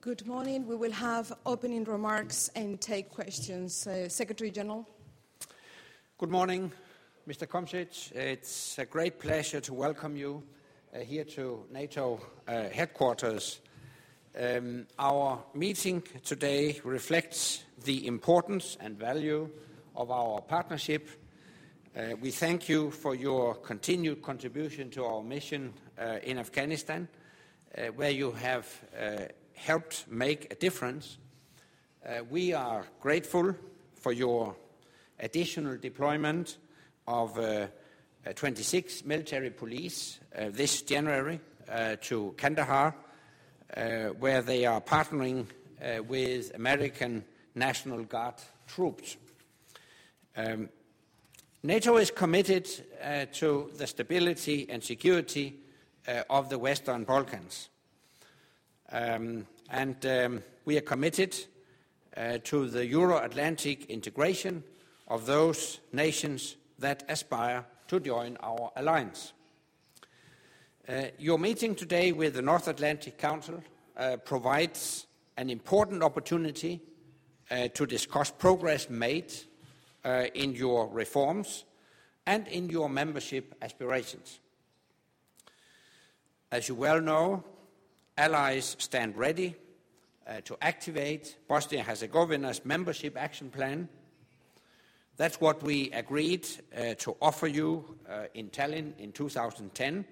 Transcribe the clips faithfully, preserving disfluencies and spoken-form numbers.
Good morning. We will have opening remarks and take questions. Uh, Secretary General. Good morning, Mister Komšić. It's a great pleasure to welcome you uh, here to NATO uh, headquarters. Um, our meeting today reflects the importance and value of our partnership. Uh, we thank you for your continued contribution to our mission uh, in Afghanistan, uh, where you have uh, helped make a difference. Uh, we are grateful for your additional deployment of uh, uh, twenty-six military police uh, this January uh, to Kandahar, uh, where they are partnering uh, with American National Guard troops. Um, NATO is committed uh, to the stability and security uh, of the Western Balkans. Um, and um, we are committed uh, to the Euro-Atlantic integration of those nations that aspire to join our alliance. Uh, your meeting today with the North Atlantic Council uh, provides an important opportunity uh, to discuss progress made uh, in your reforms and in your membership aspirations. As you well know, allies stand ready uh, to activate Bosnia-Herzegovina's membership action plan. That's what we agreed uh, to offer you uh, in Tallinn in two thousand ten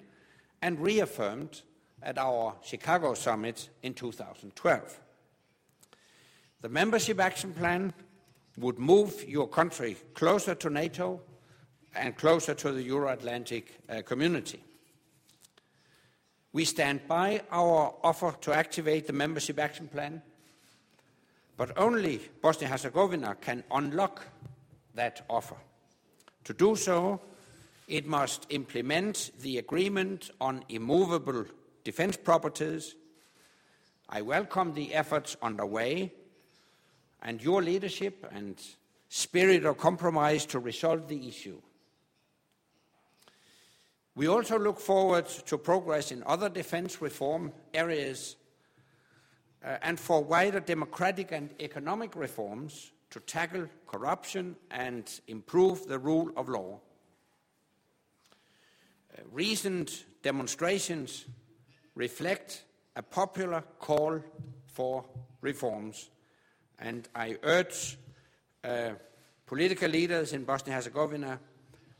and reaffirmed at our Chicago summit in two thousand twelve. The membership action plan would move your country closer to NATO and closer to the Euro-Atlantic uh, community. We stand by our offer to activate the membership action plan, but only Bosnia-Herzegovina can unlock that offer. To do so, it must implement the agreement on immovable defense properties. I welcome the efforts underway and your leadership and spirit of compromise to resolve the issue. We also look forward to progress in other defense reform areas uh, and for wider democratic and economic reforms to tackle corruption and improve the rule of law. Uh, recent demonstrations reflect a popular call for reforms, and I urge uh, political leaders in Bosnia-Herzegovina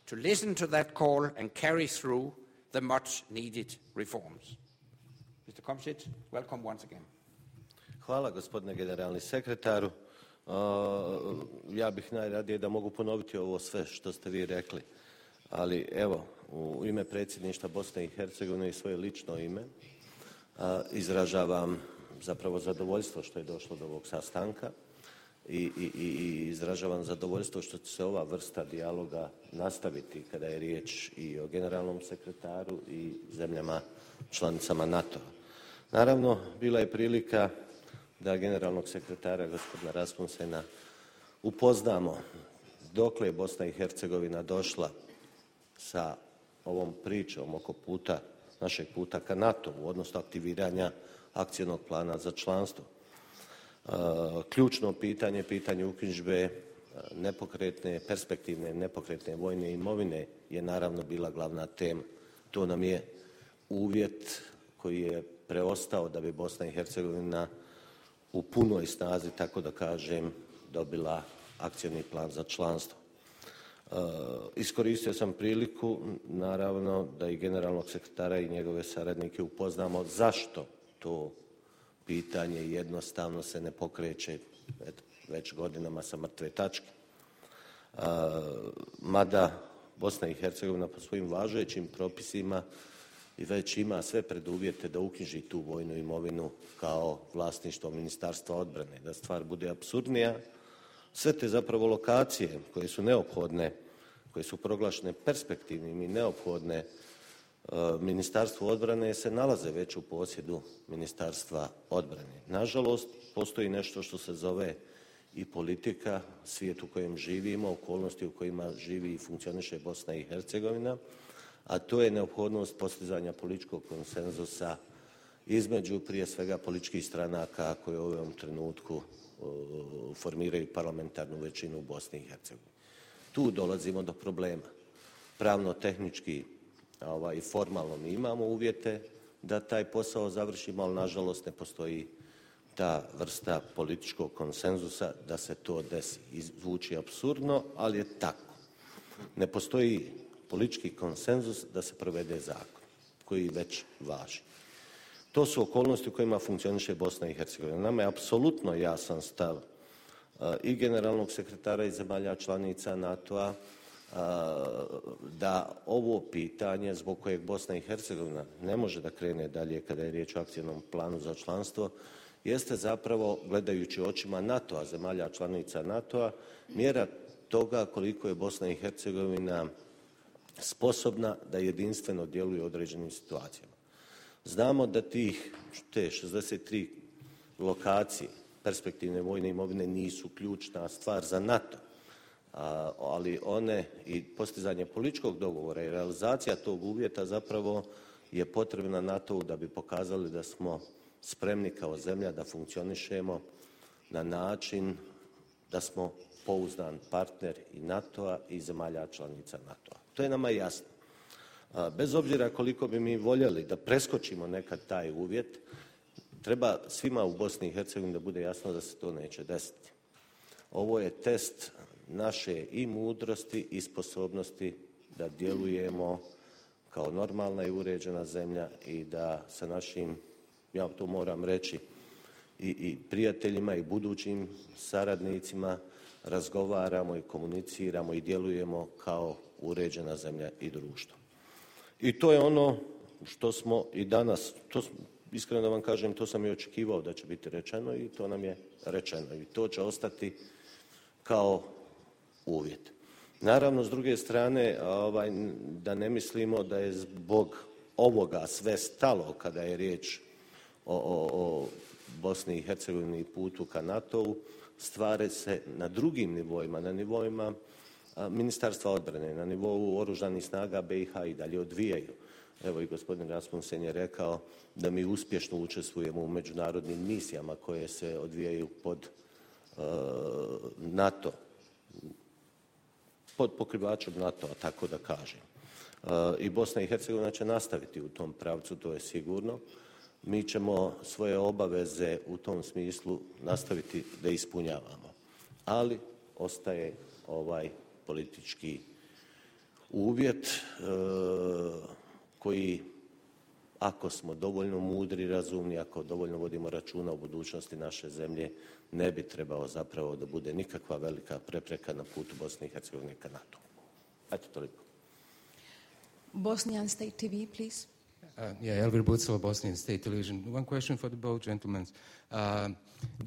to listen to that call and carry through the much-needed reforms. Mister Komšić, welcome once again. Hvala, gospodine generalni sekretaru. Uh, ja bih najradije da mogu ponoviti ovo sve što ste vi rekli, ali evo, u ime predsjedništva Bosne i Hercegovine i svoje lično ime uh, izražavam zapravo zadovoljstvo što je došlo do ovog sastanka. I, i, i izražavam zadovoljstvo što će se ova vrsta dijaloga nastaviti kada je riječ i o generalnom sekretaru i zemljama članicama NATO-a. Naravno, bila je prilika da generalnog sekretara gospodina Rasmussena upoznamo dokle je Bosna i Hercegovina došla sa ovom pričom oko puta, našeg puta ka NATO-u, odnosno aktiviranja akcijnog plana za članstvo. Ključno pitanje, pitanje uknjižbe nepokretne, perspektivne nepokretne vojne imovine je naravno bila glavna tema. To nam je uvjet koji je preostao da bi Bosna i Hercegovina u punoj snazi, tako da kažem, dobila akcijni plan za članstvo. Iskoristio sam priliku, naravno, da i generalnog sekretara i njegove saradnike upoznamo zašto to pitanje jednostavno se ne pokreće već godinama sa mrtve tačke. Mada Bosna i Hercegovina po svojim važećim propisima i već ima sve preduvjete da uknjiži tu vojnu imovinu kao vlasništvo Ministarstva odbrane. Da stvar bude apsurdnija, sve te zapravo lokacije koje su neophodne, koje su proglašene perspektivnim i neophodne Ministarstvu odbrane se nalaze već u posjedu Ministarstva odbrane. Nažalost, postoji nešto što se zove i politika, svijet u kojem živimo, okolnosti u kojima živi i funkcioniše Bosna i Hercegovina, a to je neophodnost postizanja političkog konsenzusa između prije svega političkih stranaka koje u ovom trenutku formiraju parlamentarnu većinu u Bosni i Hercegovini. Tu dolazimo do problema. Pravno-tehnički ovaj, i formalno mi imamo uvjete da taj posao završimo, ali nažalost ne postoji ta vrsta političkog konsenzusa da se to desi. Zvuči apsurdno, ali je tako. Ne postoji politički konsenzus da se provede zakon koji već važi. To su okolnosti u kojima funkcioniše Bosna i Hercegovina. Nama je apsolutno jasan stav i generalnog sekretara i zemalja članica NATO-a da ovo pitanje zbog kojeg Bosna i Hercegovina ne može da krene dalje kada je riječ o akcijnom planu za članstvo, jeste zapravo, gledajući očima NATO-a, zemalja članica NATO-a, mjera toga koliko je Bosna i Hercegovina sposobna da jedinstveno djeluje u određenim situacijama. Znamo da tih, te šezdeset tri lokacije perspektivne vojne imovine nisu ključna stvar za NATO, ali one i postizanje političkog dogovora i realizacija tog uvjeta zapravo je potrebna NATO-u da bi pokazali da smo spremni kao zemlja da funkcionišemo na način da smo pouzdan partner i NATO-a i zemalja članica NATO-a. To je nama jasno. Bez obzira koliko bi mi voljeli da preskočimo nekad taj uvjet, treba svima u Bosni i Hercegovini da bude jasno da se to neće desiti. Ovo je test naše i mudrosti i sposobnosti da djelujemo kao normalna i uređena zemlja i da sa našim, ja to moram reći, i, i prijateljima i budućim saradnicima razgovaramo i komuniciramo i djelujemo kao uređena zemlja i društvo. I to je ono što smo i danas, to, iskreno da vam kažem, to sam i očekivao da će biti rečeno i to nam je rečeno i to će ostati kao uvjet. Naravno, s druge strane, ovaj, da ne mislimo da je zbog ovoga sve stalo kada je riječ o, o, o Bosni i Hercegovini i putu ka NATO-u, stvari se na drugim nivoima, na nivoima Ministarstva odbrane, na nivou oružanih snaga B i H i dalje odvijaju. Evo i gospodin Rasmussen je rekao da mi uspješno učestvujemo u međunarodnim misijama koje se odvijaju pod uh, NATO, pod pokrivačem NATO-a, tako da kažem. Uh, I Bosna i Hercegovina će nastaviti u tom pravcu, to je sigurno. Mi ćemo svoje obaveze u tom smislu nastaviti da ispunjavamo. Ali ostaje ovaj politički uvjet e, koji, ako smo dovoljno mudri, razumni, ako dovoljno vodimo računa o budućnosti naše zemlje, ne bi trebao zapravo da bude nikakva velika prepreka na putu Bosne i Hercegovine ka NATO. Eto toliko. Bosnian State T V, please. Uh, yeah, Elvir Bucel, Bosnian State Television. One question for the both gentlemen. Uh,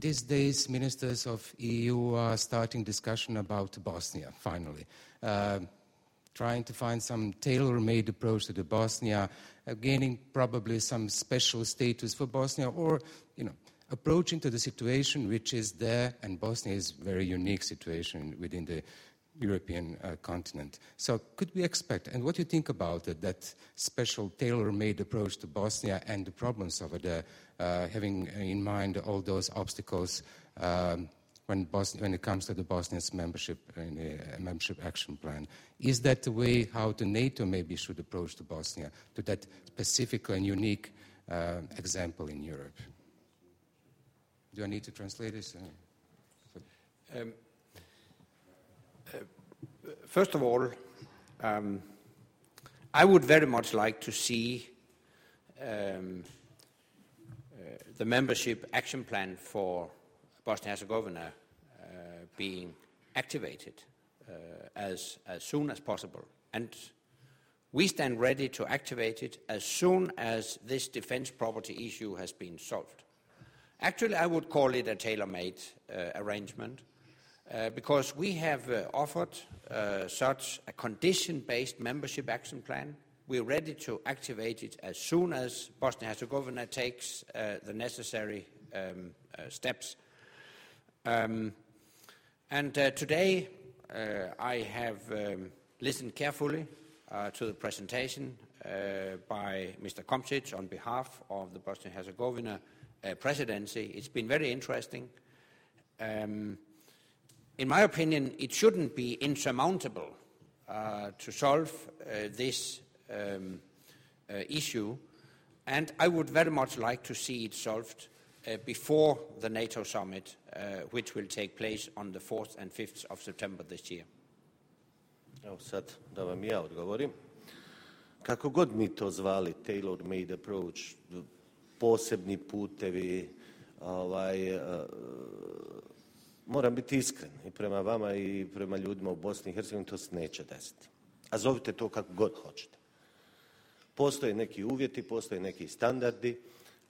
these days, ministers of E U are starting discussion about Bosnia, finally, uh, trying to find some tailor-made approach to the Bosnia, uh, gaining probably some special status for Bosnia, or, you know, approaching to the situation which is there, and Bosnia is a very unique situation within the European uh, continent. So could we expect, and what do you think about it, that special tailor-made approach to Bosnia and the problems over there, uh, having in mind all those obstacles um, when, Bosnia, when it comes to the Bosnia's membership in the uh, membership action plan? Is that the way how the NATO maybe should approach to Bosnia, to that specific and unique uh, example in Europe? Do I need to translate this? Uh, um. First of all, um, I would very much like to see um, uh, the membership action plan for Bosnia-Herzegovina uh, being activated uh, as, as soon as possible. And we stand ready to activate it as soon as this defense property issue has been solved. Actually, I would call it a tailor-made uh, arrangement. Uh, because we have uh, offered uh, such a condition-based membership action plan. We're ready to activate it as soon as Bosnia-Herzegovina takes uh, the necessary um, uh, steps. Um, and uh, today uh, I have um, listened carefully uh, to the presentation uh, by Mister Komšić on behalf of the Bosnia-Herzegovina uh, presidency. It's been very interesting. Um, in my opinion, it shouldn't be insurmountable uh, to solve uh, this um, uh, issue, and I would very much like to see it solved uh, before the NATO summit, uh, which will take place on the fourth and fifth of September this year. Evo sad da vam ja odgovorim. Kako god mi to zvali, tailor-made approach, posebni putevi, ovaj, uh, moram biti iskren i prema vama i prema ljudima u Bosni i Hercegovini, to se neće desiti. A zovite to kako god hoćete. Postoje neki uvjeti, postoje neki standardi,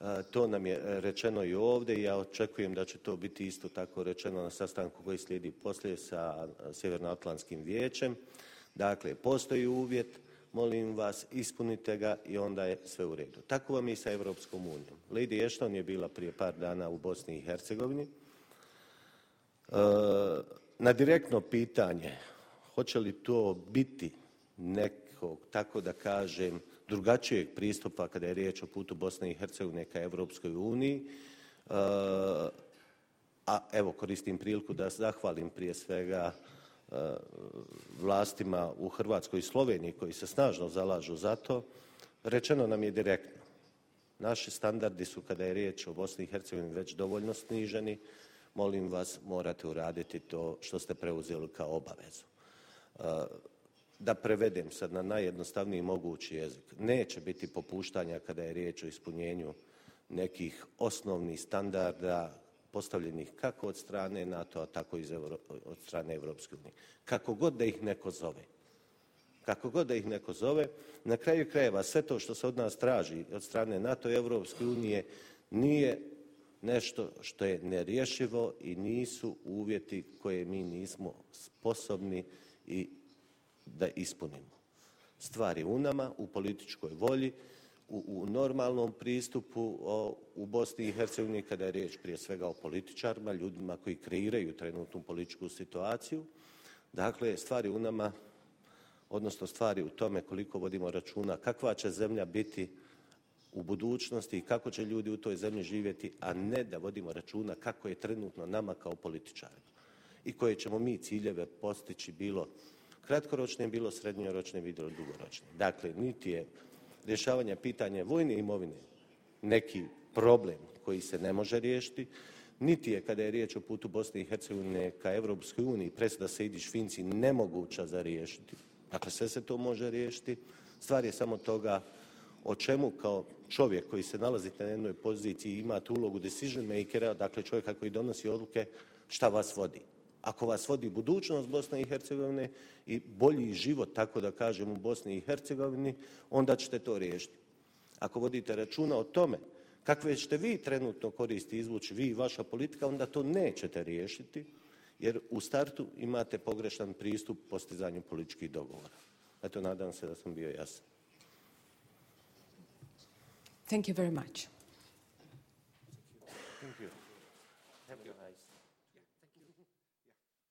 uh, to nam je rečeno i ovdje i ja očekujem da će to biti isto tako rečeno na sastanku koji slijedi poslije sa Sjevernoatlantskim vijećem. Dakle, postoji uvjet, molim vas, ispunite ga i onda je sve u redu. Tako vam i sa Evropskom unijom. Lady Ashton je bila prije par dana u Bosni i Hercegovini. E, na direktno pitanje, hoće li to biti nekog, tako da kažem, drugačijeg pristupa kada je riječ o putu Bosne i Hercegovine ka Evropskoj uniji, e, a evo koristim priliku da zahvalim prije svega vlastima u Hrvatskoj i Sloveniji koji se snažno zalažu za to, rečeno nam je direktno. Naši standardi su, kada je riječ o Bosni i Hercegovini, već dovoljno sniženi. Molim vas, morate uraditi to što ste preuzeli kao obavezu. Da prevedem sad na najjednostavniji mogući jezik. Neće biti popuštanja kada je riječ o ispunjenju nekih osnovnih standarda postavljenih kako od strane NATO-a, tako i od strane Evropske unije. Kako god da ih neko zove. Kako god da ih neko zove, na kraju krajeva sve to što se od nas traži od strane NATO i Evropske unije nije nešto što je nerješivo i nisu uvjeti koje mi nismo sposobni i da ispunimo. Stvar je u nama, u političkoj volji, U, u normalnom pristupu o, u Bosni i Hercegovini, kada je riječ prije svega o političarima, ljudima koji kreiraju trenutnu političku situaciju. Dakle, stvari u nama, odnosno stvari u tome koliko vodimo računa kakva će zemlja biti u budućnosti i kako će ljudi u toj zemlji živjeti, a ne da vodimo računa kako je trenutno nama kao političarima i koje ćemo mi ciljeve postići bilo kratkoročne, bilo srednjoročne, bilo dugoročne. Dakle, niti je rješavanja pitanja vojne imovine neki problem koji se ne može riješiti, niti je, kada je riječ o putu Bosne i Hercegovine ka Evropskoj uniji, presuda Sejdić-Finci nemoguća za riješiti. Dakle, sve se to može riješiti. Stvar je samo toga o čemu kao čovjek koji se nalazi na jednoj poziciji imate ulogu decision makera, dakle čovjeka koji donosi odluke, šta vas vodi. Ako vas vodi budućnost Bosne i Hercegovine i bolji život, tako da kažem, u Bosni i Hercegovini, onda ćete to riješiti. Ako vodite računa o tome kakve ćete vi trenutno koristi izvući, vi i vaša politika, onda to nećete riješiti, jer u startu imate pogrešan pristup postizanju političkih dogovora. Eto, nadam se da sam bio jasan. Thank you very much. Thank you. Have a nice